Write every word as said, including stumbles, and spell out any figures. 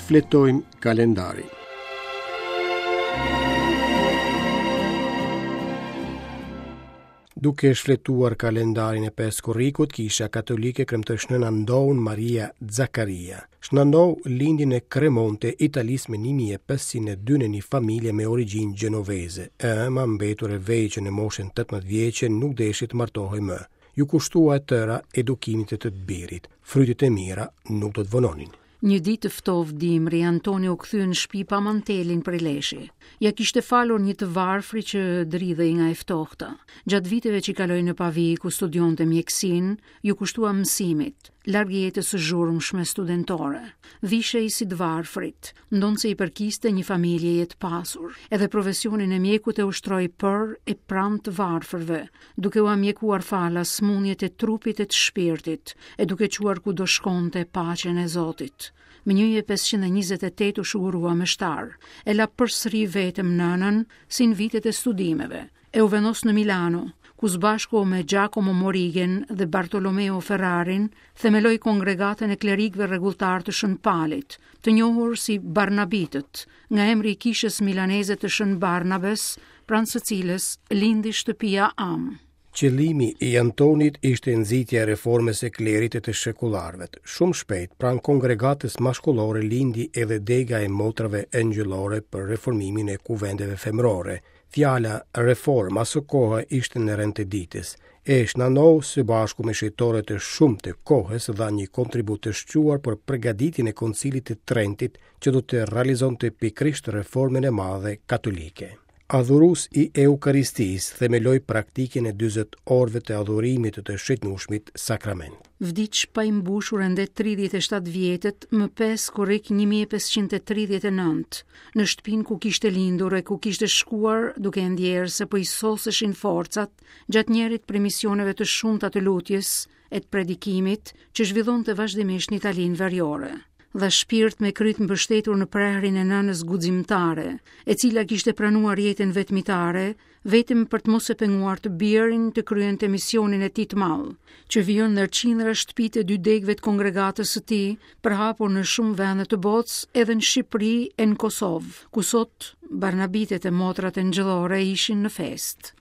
Shfletojmë kalendarin. Duke shfletuar kalendarin e pesë korrikut, Kisha Katolike kremtoi Shën Ndoun Maria Zakaria. Shën Ndou lindi në Kremonë të Italisë më një mijë e pesëqind e dy në një familje me origjinë gjenoveze. E ëma, mbetur e vejë që në moshën tetëmbëdhjetë vjeçe, nuk deshi të martohej më. Iu kushtua e tëra edukimit të të birit. Frytet e mira nuk do të vononin. Një ditë të ftohtë dimri, Antoni u kthye në shtëpi pa mantelin prej leshi. Ja kishte falur një të varfri që dridhej nga e ftohta. Gjatë viteve që kaloi në Pavi, ku studionte mjekësinë, iu kushtua mësimit, larg jetës së zhurmshme studentore. Vishej si të varfrit, ndonëse i përkiste një familjeje të pasur. Edhe profesionin e mjekut e ushtroi për e pranë të varfërve, duke ua mjekuar falas sëmundjet e trupit e të shpirtit, e duke çuar kudo shkonte paqen e Zotit. Më një mijë e pesëqind e njëzet e tetë u shugurua meshtar, e la përsëri vetëm nënën si në vitet e studimeve, e u vendos në Milano, ku së bashku me Giacomo Morigen dhe Bartolomeo Ferrarin themeloi kongregatën e klerikëve rregulltar të Shën Palit, të njohur si Barnabitët, nga emri i kishës milaneze të Shën Barnabes, pranë së cilës lindi shtëpia Am. Qëllimi i Antonit ishte nxitja e reformës së klerit e të shekullarëve. Shumë shpejt, pranë kongregatës mashkullore lindi edhe dega e motrave engjëllore për reformimin e kuvendeve femërore. Fjala reform aso kohe ishte në rend të ditës. E Shën Ndou së bashku me shejtorët e shumtë të kohës dha një kontribut të shquar për përgatitjen e Koncilit të Trentit që do të realizonte pikërisht reformën e madhe katolike. Adhurues i Eukaristisë themeloi praktikën e dyzet orëve të adhurimit të të shëtnueshmit sakrament. Vdiq pa i mbushur ende tridhjetë e shtatë vjetët më pesë korrik një mijë e pesëqind e tridhjetë e nëntë, në shtëpinë ku kishte lindur e ku kishte shkuar duke e ndjerë se po i soseshin forcat gjatë njërit prej misioneve të shumta të lutjes e të predikimit që zhvillonte vazhdimisht në Italinë veriore. Dha shpirt me kryt mbështetur në prehrin e nënës guximtare, e cila kishte pranuar jetën vetmitare, vetëm për të mos e penguar të birin të kryente misionin e tij të madh, që vijon ndër qindra shtëpitë e dy degëve të kongregatës së tij, përhapur në shumë vende të botës, edhe në Shqipëri e në Kosovë, ku sot Barnabitet e motrat engjëllore ishin në festë.